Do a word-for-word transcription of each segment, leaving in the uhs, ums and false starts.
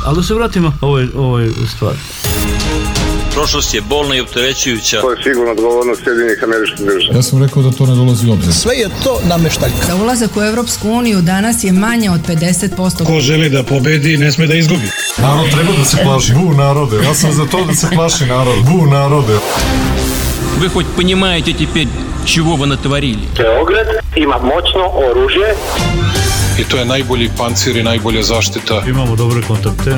Ali da se vratimo ovoj, ovoj stvari. Prošlost je bolna i opterećujuća. To je sigurno odgovornost Sjedinjenih Američkih Država. Ja sam rekao da to ne dolazi u obzir. Sve je to nameštaljka. Za ulazak u Evropsku uniju danas je manje od pedeset posto. Ko želi da pobedi, ne sme da izgubi. Narod treba da se plaši. Bu narode. Ja sam za to da se plaši narod. Bu narode. Вы хоть понимаете теперь, чего вы натворили? Beograd ima moćno oružje. I to je najbolji pancir i najbolja zaštita. Imamo dobre kontakte.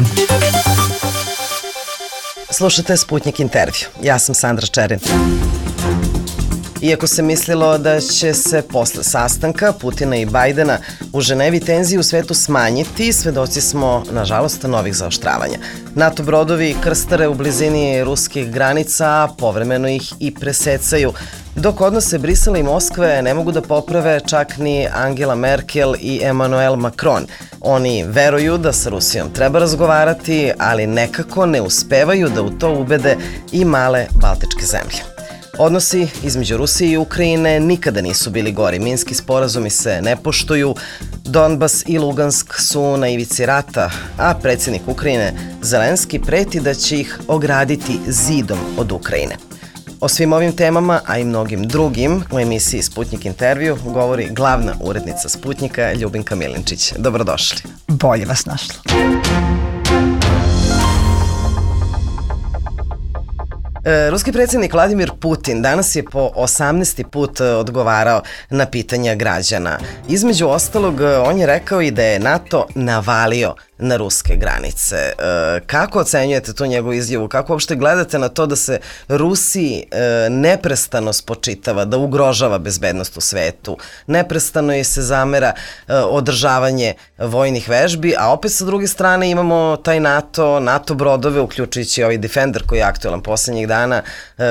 Slušate Sputnik intervju. Ja sam Sandra Čerin. Iako se mislilo da će se posle sastanka Putina i Bajdena u Ženevi tenzije u svetu smanjiti, svedoci smo, nažalost, novih zaoštravanja. NATO brodovi krstare u blizini ruskih granica, povremeno ih i presecaju, dok odnose Brisela i Moskve ne mogu da poprave čak ni Angela Merkel i Emmanuel Macron. Oni veruju da sa Rusijom treba razgovarati, ali nekako ne uspevaju da u to ubede i male baltičke zemlje. Odnosi između Rusije i Ukrajine nikada nisu bili gori. Minski sporazumi se ne poštuju, Donbas i Lugansk su na ivici rata, a predsjednik Ukrajine Zelenski preti da će ih ograditi zidom od Ukrajine. O svim ovim temama, a i mnogim drugim, u emisiji Sputnik intervju govori glavna urednica Sputnika Ljubinka Milinčić. Dobrodošli. Bolje vas našla. Ruski predsjednik Vladimir Putin danas je po osamnaesti put odgovarao na pitanja građana. Između ostalog, on je rekao i da je NATO navalio na ruske granice. Kako ocenjujete tu njegovu izjavu? Kako uopšte gledate na to da se Rusiji neprestano spočitava da ugrožava bezbednost u svetu? Neprestano je se zamera održavanje vojnih vežbi, a opet sa druge strane imamo taj NATO, NATO brodove, uključujući ovaj Defender koji je aktualan poslednjih dana,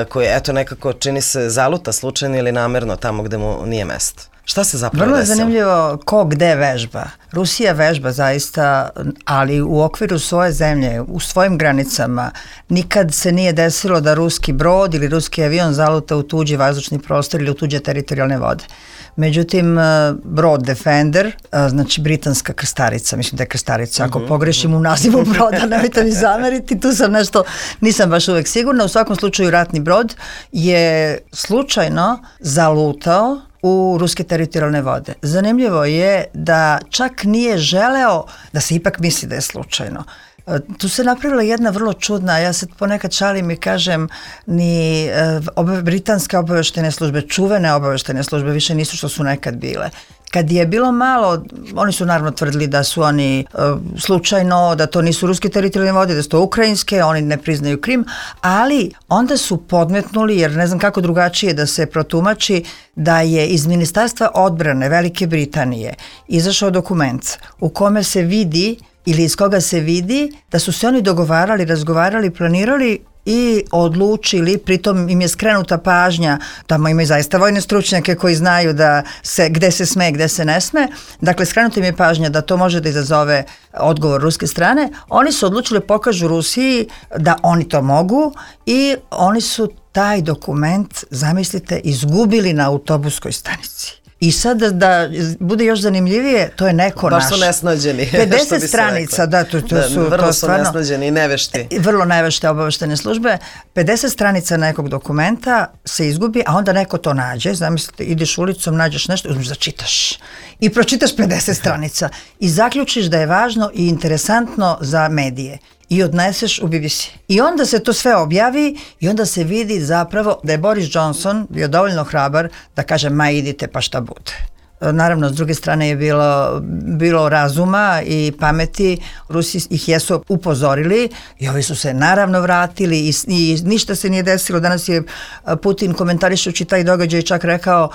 koji eto nekako čini se zaluta slučajno ili namerno tamo gde mu nije mesto. Šta se zapravo desilo? Vrlo je zanimljivo ko gde vežba. Rusija vežba zaista, ali u okviru svoje zemlje, u svojim granicama, nikad se nije desilo da ruski brod ili ruski avion zaluta u tuđi vazdušni prostor ili u tuđe teritorijalne vode. Međutim, brod Defender, znači britanska krstarica, mislim da je krstarica, ako pogrešim u nazivu broda, nemojte mi zameriti, tu sam nešto, nisam baš uvek sigurna, u svakom slučaju ratni brod je slučajno zalutao u ruske teritorijalne vode. Zanimljivo je da čak nije želeo da se ipak misli da je slučajno. Tu se napravila jedna vrlo čudna, ja se ponekad šalim i kažem, ni oba, britanske obaveštene službe, čuvene obaveštene službe više nisu što su nekad bile. Kad je bilo malo, oni su naravno tvrdili da su oni uh, slučajno, da to nisu ruske teritorijalne vode, da su to ukrajinske, oni ne priznaju Krim, ali onda su podmetnuli, jer ne znam kako drugačije da se protumači, da je iz Ministarstva odbrane Velike Britanije izašao dokument u kome se vidi ili iz koga se vidi da su se oni dogovarali, razgovarali, planirali i odlučili, pritom im je skrenuta pažnja, tamo imaju zaista vojne stručnjake koji znaju da se, gde se sme, gde se ne sme, dakle skrenuta im je pažnja da to može da izazove odgovor ruske strane, oni su odlučili pokažu Rusiji da oni to mogu i oni su taj dokument, zamislite, izgubili na autobuskoj stanici. I sad da, da bude još zanimljivije, to je neko naš. Baš su nesnađeni. pedeset stranica, da, to, to da, su vrlo to su stvarno, nesnađeni i nevešti. Vrlo nevešte obaveštene službe. pedeset stranica nekog dokumenta se izgubi, a onda neko to nađe. Zamislite, ideš ulicom, nađeš nešto, uzmeš da čitaš. I pročitaš pedeset stranica. I zaključiš da je važno i interesantno za medije. I odneseš u B B C. I onda se to sve objavi i onda se vidi zapravo da je Boris Johnson bio dovoljno hrabar da kaže ma idite pa šta bude. Naravno, s druge strane je bilo, bilo razuma i pameti, Rusi ih jesu upozorili i ovi su se naravno vratili i, i ništa se nije desilo. Danas je Putin komentarišući taj događaj čak rekao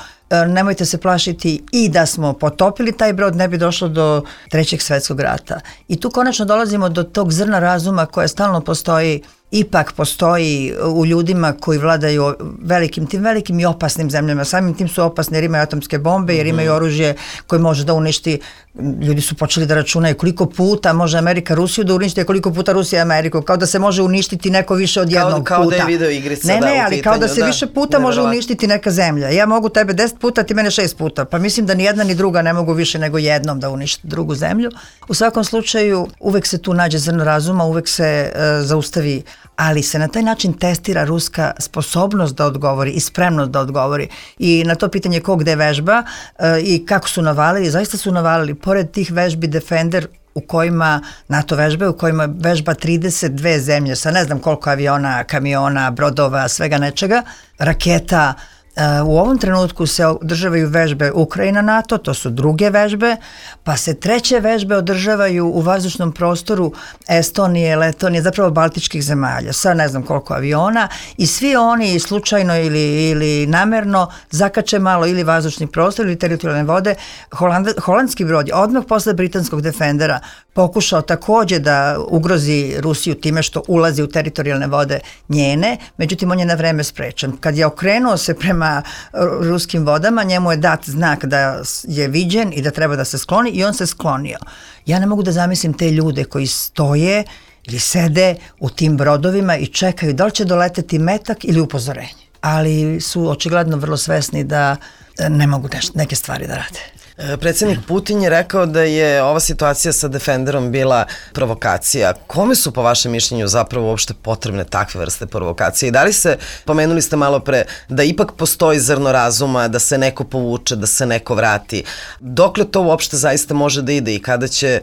nemojte se plašiti i da smo potopili taj brod ne bi došlo do trećeg svetskog rata. I tu konačno dolazimo do tog zrna razuma koje stalno postoji, ipak postoji u ljudima koji vladaju velikim, tim velikim i opasnim zemljama. Samim tim su opasni jer imaju atomske bombe, jer imaju oružje koje može da uništi Ljudi su počeli da računaju koliko puta može Amerika Rusiju da uništi, koliko puta Rusija Ameriku, kao da se može uništiti neko više od jednog kao, kao puta. Kao da je video igrica, ne, da, ne, u ali pitanju, kao da se da, više puta može uništiti neka zemlja. Ja mogu tebe deset puta, ti mene šest puta. Pa mislim da ni jedna ni druga ne mogu više nego jednom da uništi drugu zemlju. U svakom slučaju uvek se tu nađe zrno razuma, uvek se uh, zaustavi, ali se na taj način testira ruska sposobnost da odgovori i spremnost da odgovori. I na to pitanje ko gde vežba uh, i kako su navalili, zaista su navalili. Pored tih vežbi Defender u kojima NATO vežbe, u kojima vežba trideset dve zemlje sa ne znam koliko aviona, kamiona, brodova, svega nečega, raketa. U ovom trenutku se održavaju vežbe Ukrajina NATO, to su druge vežbe, pa se treće vežbe održavaju u vazdušnom prostoru Estonije, Letonije, zapravo baltičkih zemalja, sa ne znam koliko aviona i svi oni slučajno ili, ili namerno zakače malo ili vazdušni prostor ili teritorijalne vode. Holand, holandski brod je odmah posle britanskog Defendera pokušao takođe da ugrozi Rusiju time što ulazi u teritorijalne vode njene, međutim on je na vreme sprečen. Kad je okrenuo se prema ruskim vodama, njemu je dat znak da je viđen i da treba da se skloni i on se sklonio. Ja ne mogu da zamislim te ljude koji stoje ili sede u tim brodovima i čekaju da li će doleteti metak ili upozorenje. Ali su očigledno vrlo svesni da ne mogu neke stvari da rade. Predsjednik Putin je rekao da je ova situacija sa Defenderom bila provokacija. Kome su po vašem mišljenju zapravo uopšte potrebne takve vrste provokacije? I da li se, pomenuli ste malo pre, da ipak postoji zrno razuma, da se neko povuče, da se neko vrati? Dokle to uopšte zaista može da ide i kada će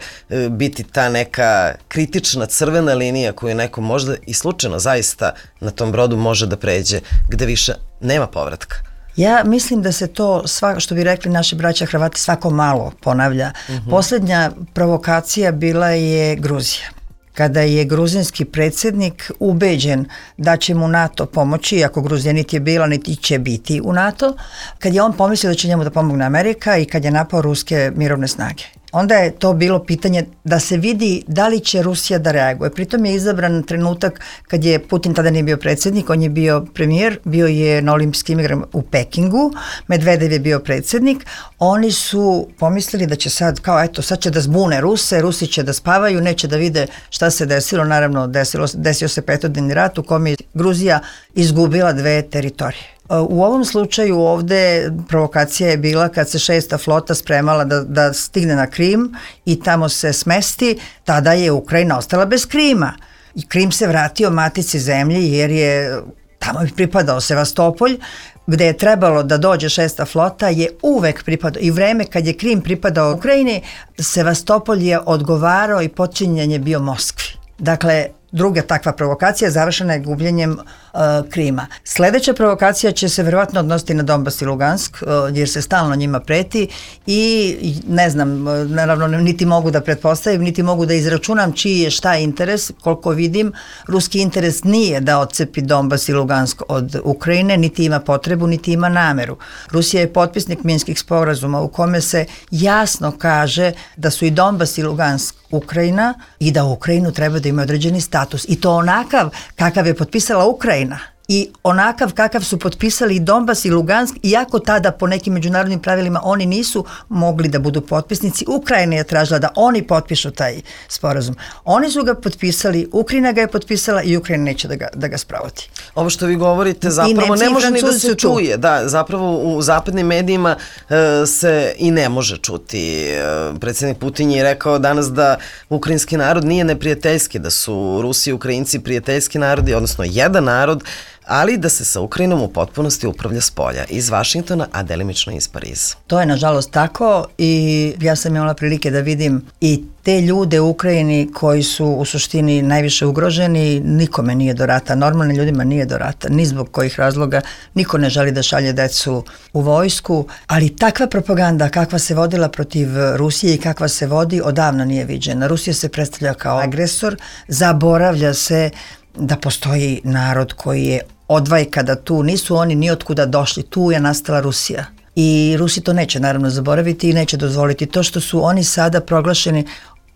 biti ta neka kritična crvena linija koju neko možda i slučajno zaista na tom brodu može da pređe, gde više nema povratka? Ja mislim da se to, sva, što bi rekli naši braća Hrvati, svako malo ponavlja. Uh-huh. Poslednja provokacija bila je Gruzija. Kada je gruzinski predsjednik ubeđen da će mu NATO pomoći, ako Gruzija niti je bila, niti će biti u NATO, kad je on pomislio da će njemu da pomogne Amerika i kad je napao ruske mirovne snage. Onda je to bilo pitanje da se vidi da li će Rusija da reaguje. Pritom je izabran trenutak kad je Putin tada nije bio predsjednik, on je bio premijer, bio je na olimpijskim igrama u Pekingu, Medvedev je bio predsjednik. Oni su pomislili da će sad, kao eto, sad će da zbune Ruse, Rusi će da spavaju, neće da vide šta se desilo. Naravno, desilo, desio se petodnevni rat u kome je Gruzija izgubila dve teritorije. U ovom slučaju ovde provokacija je bila kad se šesta flota spremala da, da stigne na Krim i tamo se smesti, tada je Ukrajina ostala bez Krima. I Krim se vratio matici zemlji jer je tamo je pripadao Sevastopolj, gde je trebalo da dođe šesta flota je uvek pripadao i vreme kad je Krim pripadao Ukrajini, Sevastopolj je odgovarao i počinjen je bio Moskvi. Dakle, druga takva provokacija završena je gubljenjem uh, Krima. Sledeća provokacija će se verovatno odnositi na Donbas i Lugansk, uh, jer se stalno njima preti i ne znam, naravno niti mogu da pretpostavim, niti mogu da izračunam čiji je šta interes. Koliko vidim, ruski interes nije da odcepi Donbas i Lugansk od Ukrajine, niti ima potrebu, niti ima nameru. Rusija je potpisnik Minskih sporazuma u kome se jasno kaže da su i Donbas i Lugansk Ukrajina i da Ukrajinu treba da ima određeni status. I to onakav kakav je potpisala Ukrajina i onakav kakav su potpisali i Donbas i Lugansk, iako tada po nekim međunarodnim pravilima oni nisu mogli da budu potpisnici. Ukrajina je tražila da oni potpišu taj sporazum. Oni su ga potpisali, Ukrajina ga je potpisala i Ukrajina neće da ga, da ga sprovodi. Ovo što vi govorite zapravo ne može ni da se čuje. Da, zapravo u zapadnim medijima uh, se i ne može čuti. Uh, predsjednik Putin je rekao danas da ukrajinski narod nije neprijateljski, da su Rusi i Ukrajinci prijateljski narodi, odnosno jedan narod, ali da se sa Ukrajinom u potpunosti upravlja s polja, iz Vašingtona, a delimično iz Pariza. To je nažalost tako i ja sam imala prilike da vidim i te ljude u Ukrajini koji su u suštini najviše ugroženi, nikome nije do rata, normalnim ljudima nije do rata, ni zbog kojih razloga, niko ne želi da šalje decu u vojsku, ali takva propaganda kakva se vodila protiv Rusije i kakva se vodi odavno nije viđena. Rusija se predstavlja kao agresor, zaboravlja se da postoji narod koji je odvajka, da tu nisu oni ni otkuda došli, tu je nastala Rusija. I Rusi to neće naravno zaboraviti i neće dozvoliti. To što su oni sada proglašeni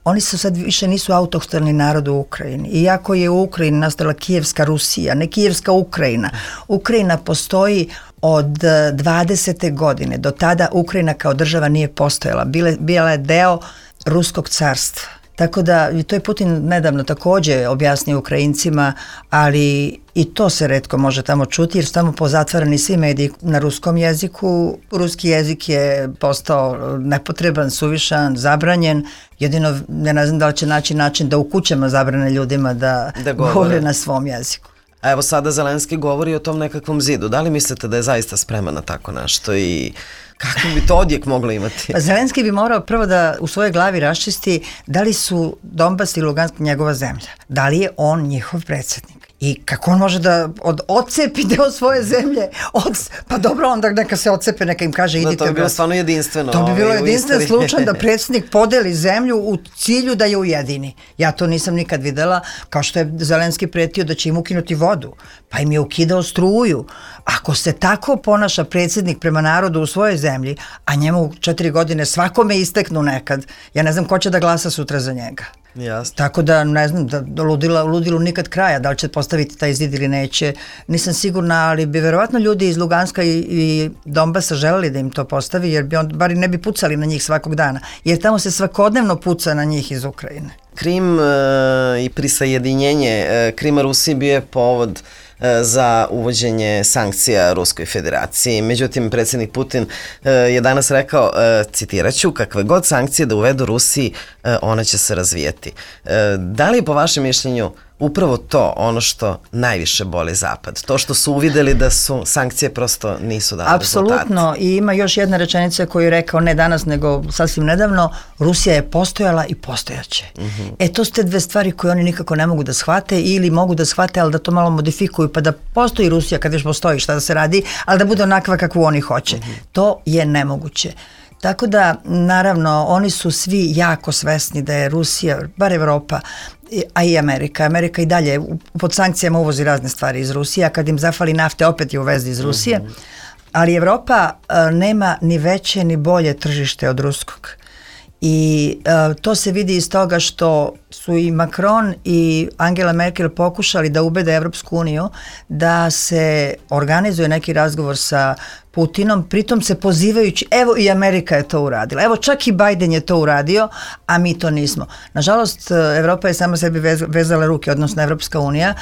oni su sad više nisu autohtoni narod u Ukrajini. Iako je u Ukrajini nastala Kijevska Rusija, ne Kijevska Ukrajina. Ukrajina postoji od dvadesete godine. Do tada Ukrajina kao država nije postojala. Bile, bila je deo Ruskog carstva. Tako da, to je Putin nedavno također objasnio Ukrajincima, ali i to se retko može tamo čuti jer su tamo pozatvarani svi mediji na ruskom jeziku. Ruski jezik je postao nepotreban, suvišan, zabranjen. Jedino, ne znam da li će naći način da u kućama zabrane ljudima da, da govore. govore na svom jeziku. A evo sada Zelenski govori o tom nekakvom zidu. Da li mislite da je zaista spreman na tako nešto i kako bi to odjek moglo imati? Pa Zelenski bi morao prvo da u svojoj glavi raščisti da li su Donbas i Lugansk njegova zemlja. Da li je on njihov predsjednik? I kako on može da od, odcepi deo svoje zemlje? Od, pa dobro, onda neka se odcepe, neka im kaže idite. Da, to bi bilo stvarno jedinstveno. To bi bilo jedinstven slučaj da predsjednik podeli zemlju u cilju da je ujedini. Ja to nisam nikad videla, kao što je Zelenski pretio da će im ukinuti vodu. Pa im je ukidao struju. Ako se tako ponaša predsjednik prema narodu u svojoj zemlji, a njemu četiri godine svakome isteknu nekad, ja ne znam ko će da glasa sutra za njega. Jasno. Tako da ne znam, da ludila, ludilu nikad kraja, da li će postaviti taj zid ili neće, nisam sigurna, ali bi verovatno ljudi iz Luganska i, i Donbasa želeli da im to postavi, jer bi on, bar ne bi pucali na njih svakog dana, jer tamo se svakodnevno puca na njih iz Ukrajine. Krim e, i prisajedinjenje e, Krima Rusiji bio je povod za uvođenje sankcija Ruskoj federaciji. Međutim, predsjednik Putin je danas rekao, citirat ću, kakve god sankcije da uvedu Rusiji, ona će se razvijeti. Da li je po vašem mišljenju upravo to ono što najviše boli Zapad? To što su uvideli da su sankcije prosto nisu dale rezultate? Apsolutno. I ima još jedna rečenica koju je rekao ne danas nego sasvim nedavno, Rusija je postojala i postojaće. Mm-hmm. E to su te dve stvari koje oni nikako ne mogu da shvate ili mogu da shvate, ali da to malo modifikuju, pa da postoji Rusija kad već postoji šta da se radi, ali da bude onakva kakvu oni hoće. Mm-hmm. To je nemoguće. Tako da, naravno, oni su svi jako svesni da je Rusija, bar Evropa, a i Amerika. Amerika i dalje pod sankcijama uvozi razne stvari iz Rusije, a kad im zafali nafte opet je uvezi iz Rusije. Mm-hmm. Ali Evropa a, nema ni veće ni bolje tržište od ruskog. I a, to se vidi iz toga što su i Macron i Angela Merkel pokušali da ubede Evropsku uniju da se organizuje neki razgovor sa Putinom, pritom se pozivajući, evo i Amerika je to uradila, evo čak i Biden je to uradio, a mi to nismo. Nažalost, Evropa je sama sebi vezala ruke, odnosno Evropska unija,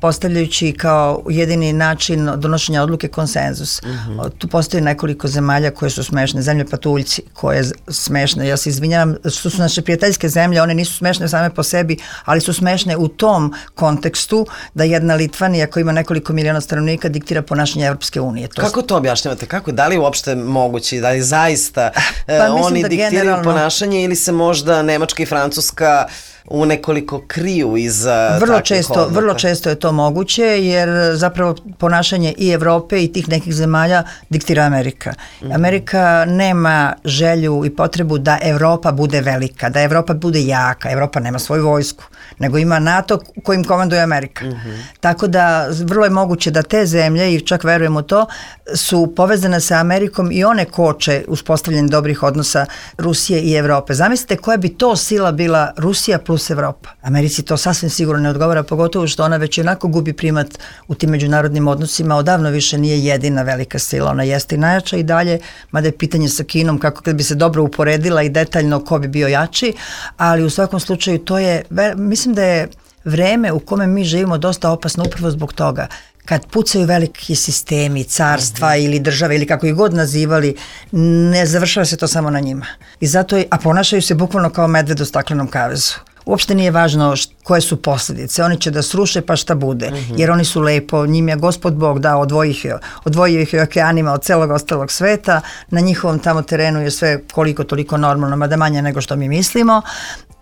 postavljajući kao jedini način donošenja odluke konsenzus. Mm-hmm. Tu postoji nekoliko zemalja koje su smešne, zemlje patuljci koje smešne, ja se izvinjavam, što su naše prijateljske zemlje, one nisu smešne same po sebi, ali su smešne u tom kontekstu da jedna Litvanija koja ima nekoliko miliona stanovnika diktira ponašanje Evropske unije. To Kako to objašnjavate? Kako? Da li uopšte moguće? Da li zaista pa, e, oni da diktiraju generalno ponašanje ili se možda Nemačka i Francuska u nekoliko kriju iza vrlo takvih često, odluka? Vrlo često je to moguće jer zapravo ponašanje i Evrope i tih nekih zemalja diktira Amerika. Mm-hmm. Amerika nema želju i potrebu da Evropa bude velika, da Evropa bude jaka. Evropa nema svoju vojsku, nego ima NATO kojim komanduje Amerika. Mm-hmm. Tako da vrlo je moguće da te zemlje, i čak verujem u to, su povezane sa Amerikom i one koče uspostavljanje dobrih odnosa Rusije i Evrope. Zamislite koja bi to sila bila Rusija plus Evropa. Americi to sasvim sigurno ne odgovara, pogotovo što ona već onako gubi primat u tim međunarodnim odnosima, odavno više nije jedina velika sila, ona jeste i najjača i dalje, mada je pitanje sa Kinom kako kad bi se dobro uporedila i detaljno ko bi bio jači, ali u svakom slučaju to je, mislim da je vreme u kome mi živimo dosta opasno upravo zbog toga. Kad pucaju veliki sistemi, carstva mm-hmm. ili države ili kako ih god nazivali, ne završava se to samo na njima. I zato je, a ponašaju se bukvalno kao medved u staklenom kavezu. Uopšte nije važno št, koje su posljedice. Oni će da sruše pa šta bude. Mm-hmm. Jer oni su lepo, njim je Gospod Bog dao, odvojio ih, odvojio ih okeanima od celog ostalog sveta. Na njihovom tamo terenu je sve koliko toliko normalno, mada manje nego što mi mislimo.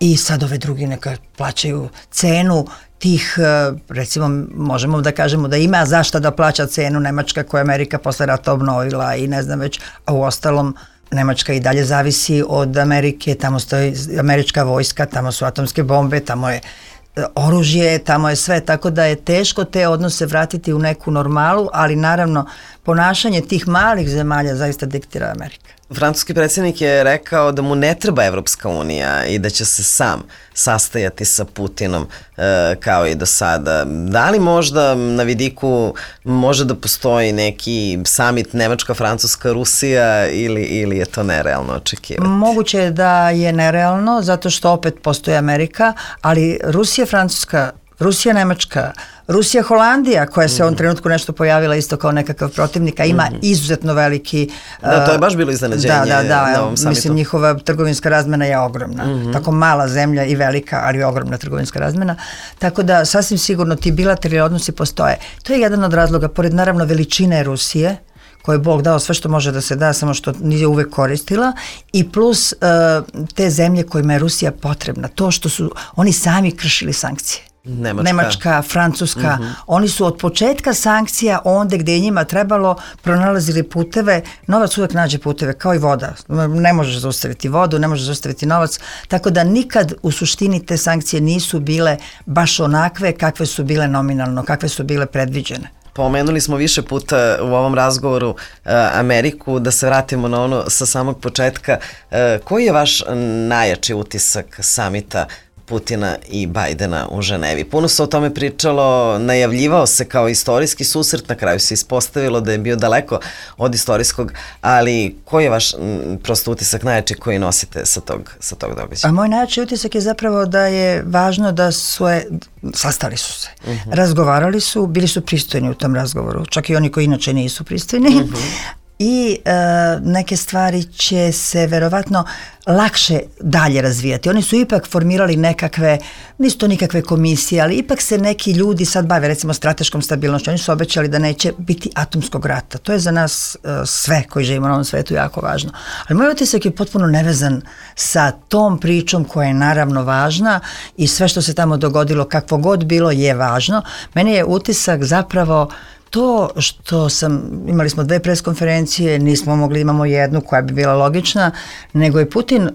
I sad ove drugi neka plaćaju cenu tih, recimo, možemo da kažemo da ima zašto da plaća cenu Nemačka koja Amerika posle rata obnovila i ne znam već, a u ostalom Nemačka i dalje zavisi od Amerike, tamo stoji američka vojska, tamo su atomske bombe, tamo je oružje, tamo je sve, tako da je teško te odnose vratiti u neku normalu, ali naravno ponašanje tih malih zemalja zaista diktira Amerika. Francuski predsjednik je rekao da mu ne treba Evropska unija i da će se sam sastajati sa Putinom e, kao i do sada. Da li možda na vidiku može da postoji neki summit Nemačka, Francuska, Rusija ili, ili je to nerealno očekivati? Moguće je da je nerealno zato što opet postoji Amerika, ali Rusija, Francuska, Rusija, Nemačka, Rusija, Holandija, koja se u ovom trenutku nešto pojavila isto kao nekakav protivnik, a ima izuzetno veliki... Da, to je baš bilo iznenađenje da, da, da, na ovom samitu. Mislim, njihova trgovinska razmena je ogromna. Mm-hmm. Tako mala zemlja i velika, ali ogromna trgovinska razmena. Tako da, sasvim sigurno, ti bilateralni odnosi postoje. To je jedan od razloga, pored naravno veličine Rusije, koje je Bog dao sve što može da se da, samo što nije uvek koristila, i plus uh, te zemlje kojima je Rusija potrebna. To što su oni sami kršili sankcije. Nemačka, Nemačka Francuska, mm-hmm. oni su od početka sankcija onda gde je njima trebalo pronalazili puteve, novac uvek nađe puteve, kao i voda, ne možeš zaustaviti vodu, ne možeš zaustaviti novac, tako da nikad u suštini te sankcije nisu bile baš onakve kakve su bile nominalno, kakve su bile predviđene. Pomenuli smo više puta u ovom razgovoru uh, Ameriku, da se vratimo na ono sa samog početka. Uh, koji je vaš najjači utisak samita Putina i Bajdena u Ženevi? Puno se o tome pričalo, najavljivao se kao istorijski susret, na kraju se ispostavilo da je bio daleko od istorijskog, ali koji je vaš m, prosto utisak najjači koji nosite sa tog, sa tog događaja? A moj najjači utisak je zapravo da je važno da su, je, sastali su se, uh-huh. razgovarali su, bili su pristojni u tom razgovoru, čak i oni koji inače nisu pristojni. Uh-huh. I e, neke stvari će se verovatno lakše dalje razvijati. Oni su ipak formirali nekakve, nisu to nikakve komisije, ali ipak se neki ljudi sad bave recimo strateškom stabilnošću. Oni su obećali da neće biti atomskog rata. To je za nas e, sve koji živimo na ovom svetu jako važno. Ali moj utisak je potpuno nevezan sa tom pričom koja je naravno važna i sve što se tamo dogodilo, kakvo god bilo, je važno. Meni je utisak zapravo to što sam, imali smo dve preskonferencije, nismo mogli, imamo jednu koja bi bila logična, nego je Putin uh,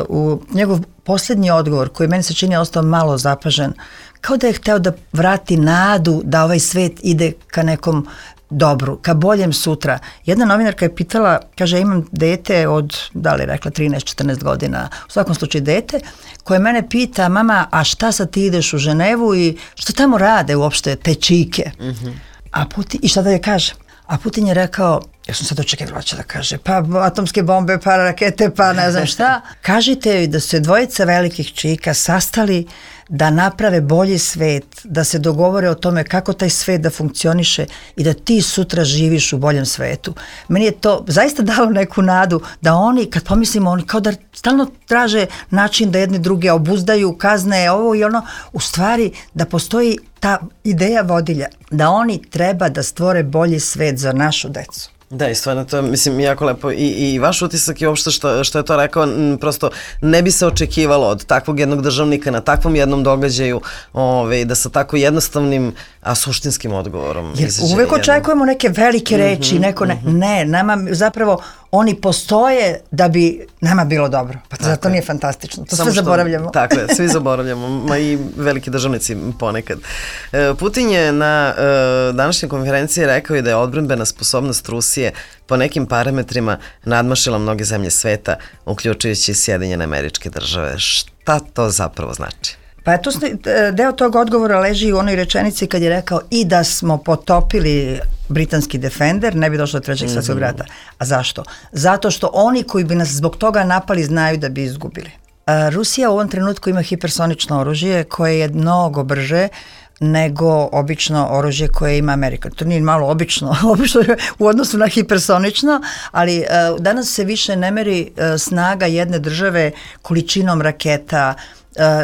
u njegov posljednji odgovor, koji meni se čini ostao malo zapažen, kao da je hteo da vrati nadu da ovaj svet ide ka nekom dobru, ka boljem sutra. Jedna novinarka je pitala, kaže, imam dete od, da li je rekla, trinaest četrnaest godina, u svakom slučaju dete, koje mene pita, mama, a šta sad ti ideš u Ženevu i što tamo rade uopšte te čike? Mm-hmm. A Putin, i šta da je kaže? A Putin je rekao, ja sam sad očekivala će da kaže, pa atomske bombe, pa rakete, pa ne znam šta. Kažite joj da su se dvojica velikih čika sastali da naprave bolji svet, da se dogovore o tome kako taj svet da funkcioniše i da ti sutra živiš u boljem svetu. Meni je to zaista dalo neku nadu da oni, kad pomislimo, oni kao da stalno traže način da jedni druge obuzdaju, kazne, ovo i ono, u stvari da postoji ta ideja vodilja, da oni treba da stvore bolji svet za našu decu. Da, i stvarno to, mislim, jako lepo. I, i vaš utisak je uopšte što, što je to rekao, m, prosto ne bi se očekivalo od takvog jednog državnika na takvom jednom događaju, ove, da sa tako jednostavnim, a suštinskim odgovorom. Jer uvek očekujemo neke velike reči, mm-hmm, neko ne, mm-hmm. ne, nama zapravo oni postoje da bi nama bilo dobro. Pa zato nije fantastično. To Samo sve što, zaboravljamo. Tako je, svi zaboravljamo, ma i veliki državnici ponekad. E, Putin je na e, današnjoj konferenciji rekao i da je odbrambena sposobnost Rusije po nekim parametrima nadmašila mnoge zemlje sveta, uključujući Sjedinjene Američke Države. Šta to zapravo znači? Pa to, deo tog odgovora leži u onoj rečenici kad je rekao i da smo potopili britanski Defender, ne bi došlo do trećeg svjetskog rata. A zašto? Zato što oni koji bi nas zbog toga napali znaju da bi izgubili. A, Rusija u ovom trenutku ima hipersonično oružje koje je mnogo brže nego obično oružje koje ima Amerika. To nije malo obično, obično u odnosu na hipersonično, ali uh, danas se više ne meri uh, snaga jedne države količinom raketa,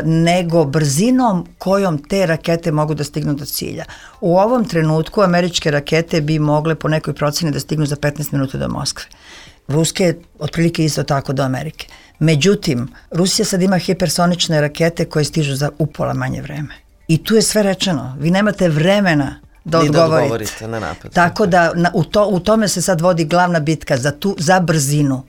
nego brzinom kojom te rakete mogu da stignu do cilja. U ovom trenutku američke rakete bi mogle po nekoj proceni da stignu za petnaest minuta do Moskve. Ruske otprilike isto tako do Amerike. Međutim, Rusija sad ima hipersonične rakete koje stižu za upola manje vreme. I tu je sve rečeno. Vi nemate vremena da odgovorite. Da odgovorite na napad. Tako da na, u, to, u tome se sad vodi glavna bitka za, tu, za brzinu.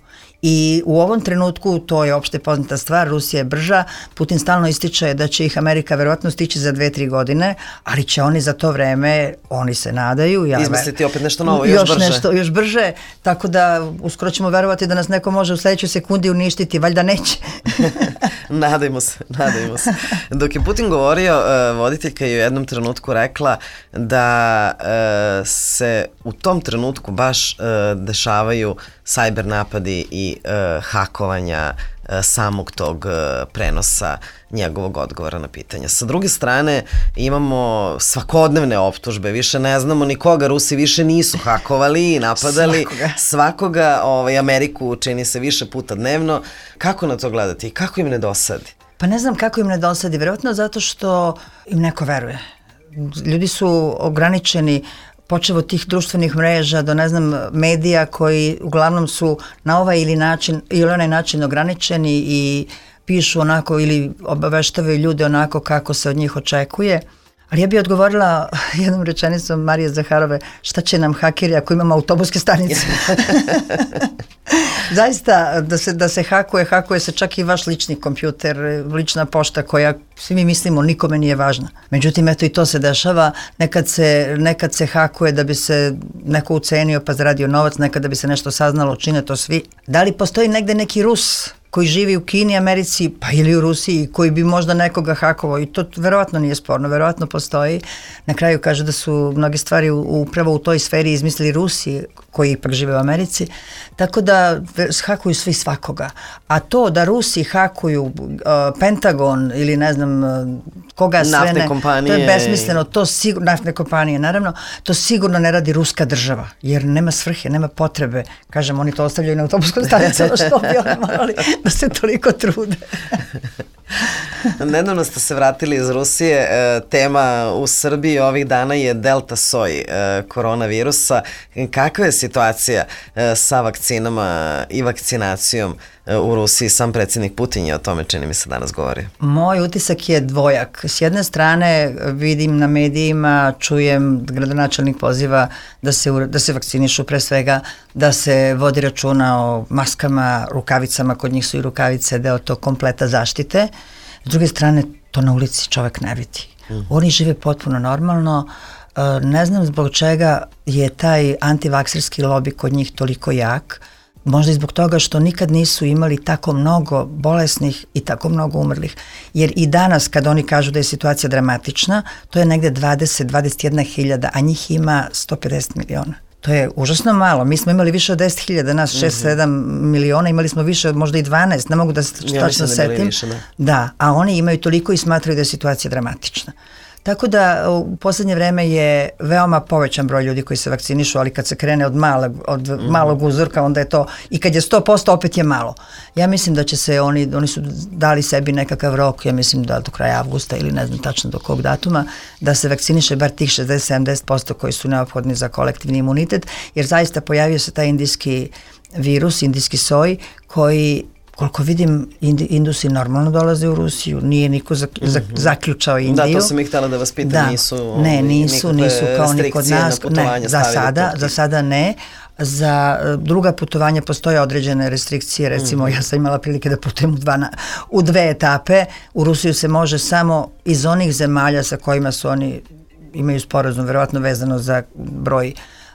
I u ovom trenutku, to je opšte poznata stvar, Rusija je brža, Putin stalno ističe da će ih Amerika verovatno stići za dve, tri godine, ali će oni za to vreme, oni se nadaju. Ja izmisliti opet nešto novo, još, još brže. Nešto, još brže, tako da uskoro ćemo verovati da nas neko može u sledećoj sekundi uništiti, valjda neće. Nadajmo se, nadajmo se. Dok je Putin govorio, voditeljka je u jednom trenutku rekla da se u tom trenutku baš dešavaju sajber napadi i hakovanja samog tog prenosa njegovog odgovora na pitanja. Sa druge strane imamo svakodnevne optužbe, više ne znamo nikoga, Rusi više nisu hakovali i napadali svakoga, svakoga ovaj, Ameriku čini se više puta dnevno. Kako na to gledati i kako im ne dosadi? Pa ne znam kako im ne dosadi, verovatno zato što im neko veruje. Ljudi su ograničeni počevo od tih društvenih mreža do, ne znam, medija koji uglavnom su na ovaj ili način ili onaj način ograničeni i pišu onako ili obaveštavaju ljude onako kako se od njih očekuje. Ali ja bih odgovorila jednom rečenicom Marije Zaharove, šta će nam hakeri ako imamo autobuske stanice? Zaista, da se, da se hakuje, hakuje se čak i vaš lični kompjuter, lična pošta koja, svi mi mislimo, nikome nije važna. Međutim, eto i to se dešava, nekad se, nekad se hakuje da bi se neko ucenio pa zaradio novac, nekad da bi se nešto saznalo, čine to svi. Da li postoji negde neki Rus koji živi u Kini, Americi, pa ili u Rusiji, koji bi možda nekoga hakovao, i to verovatno nije sporno, verovatno postoji. Na kraju kaže da su mnoge stvari upravo u toj sferi izmislili Rusi, koji ipak žive u Americi, tako da hakuju svi svakoga. A to da Rusi hakuju uh, Pentagon ili ne znam uh, koga sve naftne ne, kompanije. To je besmisleno, to sigurno, naftne kompanije, naravno, to sigurno ne radi ruska država, jer nema svrhe, nema potrebe. Kažem, oni to ostavljaju na autobuskom stanicu, što bi oni morali da se toliko trude. Nedavno ste se vratili iz Rusije, tema u Srbiji ovih dana je delta soj koronavirusa. Kakva je situacija sa vakcinama i vakcinacijom u Rusiji? Sam predsjednik Putin je o tome, čini mi se, danas govorio. Moj utisak je dvojak. S jedne strane vidim na medijima, čujem gradonačelnik poziva da se, da se vakcinišu, pre svega da se vodi računa o maskama, rukavicama, kod njih su i rukavice deo tog kompleta zaštite. S druge strane, to na ulici čovek ne vidi. Mm. Oni žive potpuno normalno. Ne znam zbog čega je taj antivakserski lobi kod njih toliko jak. Možda i zbog toga što nikad nisu imali tako mnogo bolesnih i tako mnogo umrlih. Jer i danas kad oni kažu da je situacija dramatična, to je negde dvadeset do dvadeset jedna hiljada, a njih ima sto pedeset miliona. To je užasno malo. Mi smo imali više od deset hiljada, nas šest sedam miliona, imali smo više od možda i dvanaest, ne mogu da se tačno setim. Više, da. da, a oni imaju toliko i smatraju da je situacija dramatična. Tako da u poslednje vreme je veoma povećan broj ljudi koji se vakcinišu, ali kad se krene od malog, od mm. malog uzorka, onda je to, i kad je sto posto opet je malo. Ja mislim da će se oni, oni su dali sebi nekakav rok, ja mislim da do kraja avgusta ili ne znam tačno do kog datuma, da se vakciniše bar tih šezdeset do sedamdeset posto koji su neophodni za kolektivni imunitet, jer zaista pojavio se taj indijski virus, indijski soj, koji, koliko vidim, Indusi normalno dolaze u Rusiju, nije niko zak, zak, zaključao Indiju. Da, to sam ih htjela da vas pitam, da, nisu, ne, nisu, nisu kao ni kod nas, ne, za sada, za sada ne. Za druga putovanja postoje određene restrikcije, recimo mm. ja sam imala prilike da putujem u, dva, u dve etape, u Rusiju se može samo iz onih zemalja sa kojima su oni, imaju sporazum, verovatno vezano za broj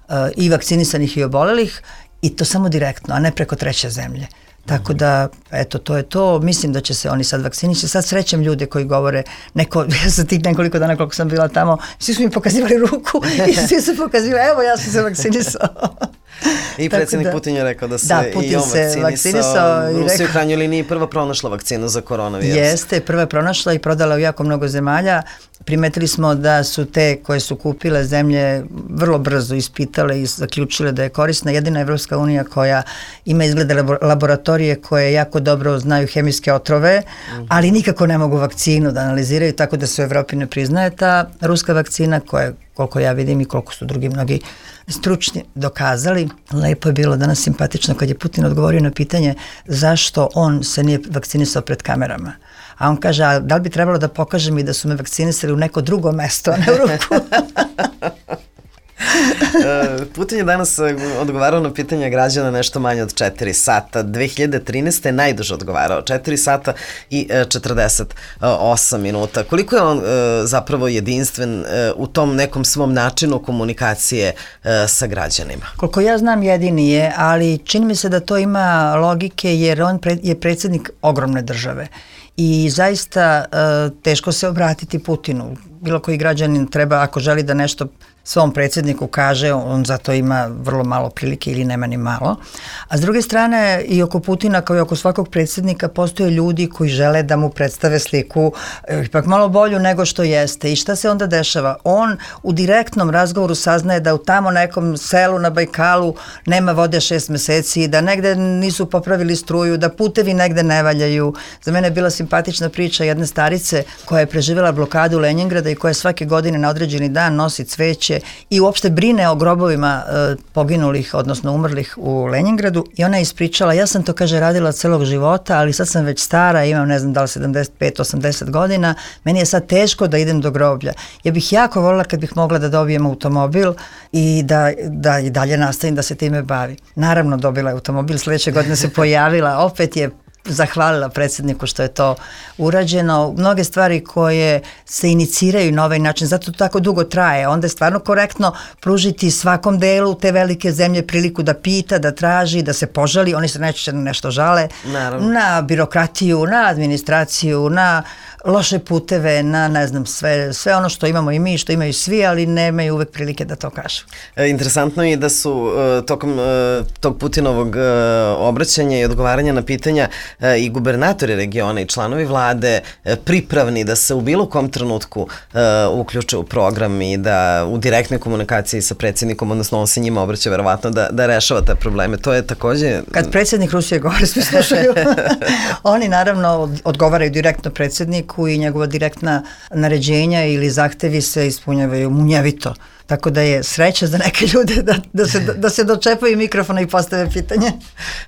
uh, i vakcinisanih i obolelih, i to samo direktno, a ne preko treće zemlje. Tako da, eto, to je to. Mislim da će se oni sad vakcinići. Sad srećem ljude koji govore, neko, ja sam tih nekoliko dana koliko sam bila tamo, svi su mi pokazivali ruku i svi su pokazivali, evo ja sam se vakcinisao. I predsjednik da, Putin je rekao da se da, i on vakcinisao. vakcinisao Rusija u krajnjoj liniji prva pronašla vakcinu za koronavirus. Jeste, prva je pronašla i prodala u jako mnogo zemalja. Primetili smo da su te koje su kupile zemlje vrlo brzo ispitale i zaključile da je korisna. Jedina Evropska unija koja ima izgleda laboratorije koje jako dobro znaju hemijske otrove, mm-hmm. ali nikako ne mogu vakcinu da analiziraju, tako da se u Evropi ne priznaje ta ruska vakcina koja, koliko ja vidim i koliko su drugi mnogi stručni dokazali. Lepo je bilo danas simpatično kad je Putin odgovorio na pitanje zašto on se nije vakcinisao pred kamerama. A on kaže, a da li bi trebalo da pokažem i da su me vakcinisali u neko drugo mesto, a ne u ruku? Putin je danas odgovarao na pitanja građana nešto manje od četiri sata. dve hiljade trinaeste. je najduže odgovarao, četiri sata i četrdeset osam minuta. Koliko je on zapravo jedinstven u tom nekom svom načinu komunikacije sa građanima? Koliko ja znam jedini je, ali čini mi se da to ima logike jer on je predsjednik ogromne države. I zaista teško se obratiti Putinu. Bilo koji građanin treba, ako želi da nešto svom predsjedniku kaže, on zato ima vrlo malo prilike ili nema ni malo. A s druge strane, i oko Putina kao i oko svakog predsjednika postoje ljudi koji žele da mu predstave sliku ipak malo bolju nego što jeste. I šta se onda dešava? On u direktnom razgovoru saznaje da u tamo nekom selu na Bajkalu nema vode šest meseci, da negde nisu popravili struju, da putevi negde ne valjaju. Za mene je bila simpatična priča jedne starice koja je preživjela blokadu Lenjingrada i koja svake godine na određeni dan nosi cveće i uopšte brine o grobovima e, poginulih, odnosno umrlih u Lenjingradu i ona je ispričala, ja sam to, kaže, radila celog života, ali sad sam već stara, imam ne znam da li sedamdeset pet osamdeset godina, meni je sad teško da idem do groblja. Ja bih jako voljela kad bih mogla da dobijem automobil i da, da i dalje nastavim da se time bavi. Naravno dobila je automobil, sljedeće godine se pojavila, opet je zahvalila predsjedniku što je to urađeno. Mnoge stvari koje se iniciraju na ovaj način, zato to tako dugo traje. Onda je stvarno korektno pružiti svakom delu te velike zemlje priliku da pita, da traži, da se požali. Oni se najčešće na nešto žale. Naravno. Na birokratiju, na administraciju, na loše puteve, na ne znam, sve, sve ono što imamo i mi, što imaju svi, ali nemaju uvek prilike da to kažu. E, interesantno je da su uh, tokom uh, tog Putinovog uh, obraćanja i odgovaranja na pitanja uh, i gubernatori regiona i članovi vlade uh, pripravni da se u bilo kom trenutku uh, uključe u program i da u direktnoj komunikaciji sa predsjednikom, odnosno on se njima obraća verovatno da, da rešava te probleme. To je takođe... Kad predsjednik Rusije govori, svi slušaju. Oni naravno odgovaraju direktno predsjedniku i njegova direktna naređenja ili zahtevi se ispunjavaju munjevito. Tako da je sreća za neke ljude da, da, se, da se dočepaju mikrofona i postave pitanje.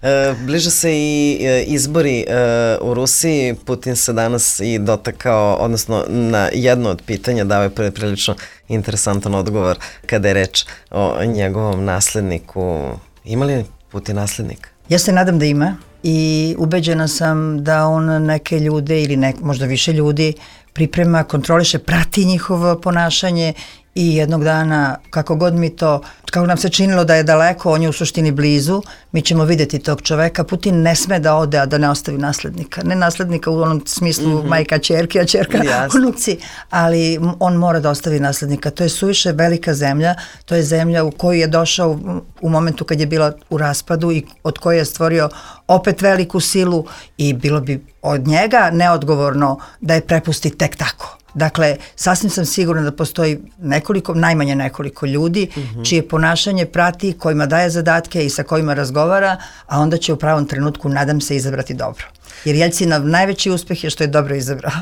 E, bliže se i e, izbori e, u Rusiji. Putin se danas i dotakao, odnosno na jedno od pitanja dao je prilično interesantan odgovor kada je reč o njegovom nasledniku. Ima li Putin naslednik? Ja se nadam da ima i ubeđena sam da on neke ljude ili nek, možda više ljudi priprema, kontroliše, prati njihovo ponašanje i jednog dana, kako god mi to, kako nam se činilo da je daleko, on je u suštini blizu, mi ćemo vidjeti tog čoveka. Putin ne sme da ode, a da ne ostavi naslednika. Ne naslednika u onom smislu mm-hmm. majka čerke, a čerka yes. unuci, ali on mora da ostavi naslednika. To je suviše velika zemlja, to je zemlja u koju je došao u, u momentu kad je bila u raspadu i od koje je stvorio opet veliku silu i bilo bi od njega neodgovorno da je prepusti tek tako. Dakle, sasvim sam sigurna da postoji nekoliko, najmanje nekoliko ljudi mm-hmm. čije ponašanje prati, kojima daje zadatke i sa kojima razgovara, a onda će u pravom trenutku, nadam se, izabrati dobro. Jer Jeljcinov najveći uspjeh je što je dobro izabrao.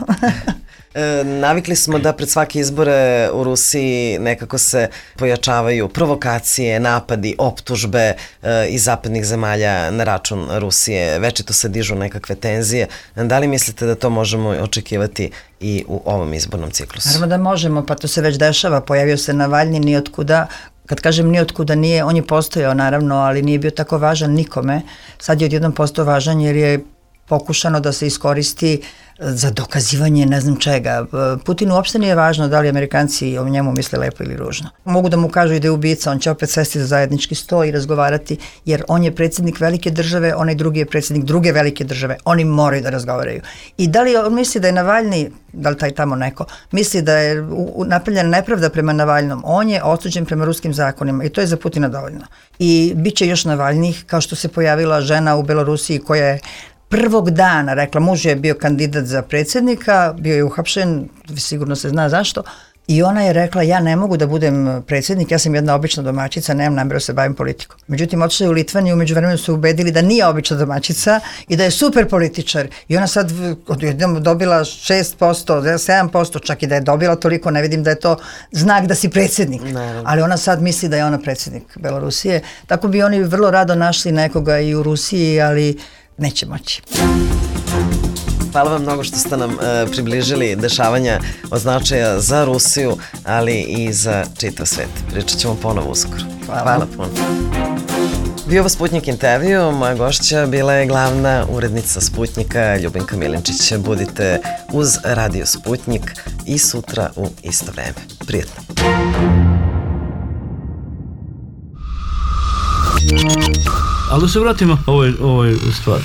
E, navikli smo da pred svake izbore u Rusiji nekako se pojačavaju provokacije, napadi, optužbe e, iz zapadnih zemalja na račun Rusije. Večito se dižu nekakve tenzije. Da li mislite da to možemo očekivati i u ovom izbornom ciklusu? Naravno da možemo, pa to se već dešava. Pojavio se Navalni nijotkuda. Kad kažem nijotkuda nije, on je postojao naravno, ali nije bio tako važan nikome. Sad je odjednom postao važan jer je pokušano da se iskoristi za dokazivanje ne znam čega. Putinu uopšte nije važno da li Amerikanci o njemu misle lepo ili ružno. Mogu da mu kažu i da je ubica, on će opet sesti za zajednički sto i razgovarati, jer on je predsjednik velike države, onaj drugi je predsjednik druge velike države. Oni moraju da razgovaraju. I da li on misli da je Navalni, da li taj tamo neko, misli da je napravljena nepravda prema Navalnom, on je osuđen prema ruskim zakonima i to je za Putina dovoljno. I bit će još Navalnih, kao što se pojavila žena u Belorusiji koja je prvog dana rekla, muž je bio kandidat za predsjednika, bio je uhapšen, sigurno se zna zašto, i ona je rekla, ja ne mogu da budem predsjednik, ja sam jedna obična domaćica, nemam namjeru da se bavim politikom. Međutim, otišla je u Litvaniju, među vremenu su ubedili da nije obična domaćica i da je super političar. I ona sad dobila šest posto, sedam posto, čak i da je dobila toliko, ne vidim da je to znak da si predsjednik. Naravno. Ali ona sad misli da je ona predsjednik Belorusije. Tako bi oni vrlo rado našli nekoga i u Rusiji, ali neće moći. Hvala vam mnogo što ste nam uh, približili dešavanja od značaja za Rusiju, ali i za čitav svet. Pričat ćemo ponovo uskoro. Hvala. Hvala puno. Bio ovo Sputnik intervju, moja gošća bila je glavna urednica Sputnika Ljubinka Milinčić. Budite uz Radio Sputnik i sutra u isto vreme. Prijetno. Ali da se vratimo ovoj, ovoj stvari.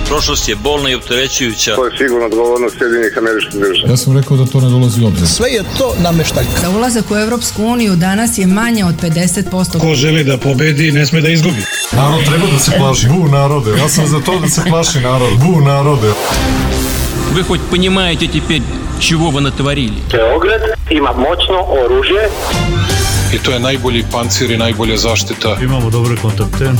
Prošlost je bolna i opterećujuća. To je sigurno odgovornost Sjedinjenih Američkih Država. Ja sam rekao da to ne dolazi u obzir. Sve je to nameštaljka. Za ulazak u Evropsku uniju danas je manje od pedeset posto. Ko želi da pobedi, ne sme da izgubi. Narod treba da se plaši. Bu narode. Ja sam za to da se plaši narod. Bu narode. Вы хоть понимаете теперь, чего вы натворили? Beograd ima moćno oružje. I to je najbolji pancir i najbolja zaštita. Imamo dobre kontakte.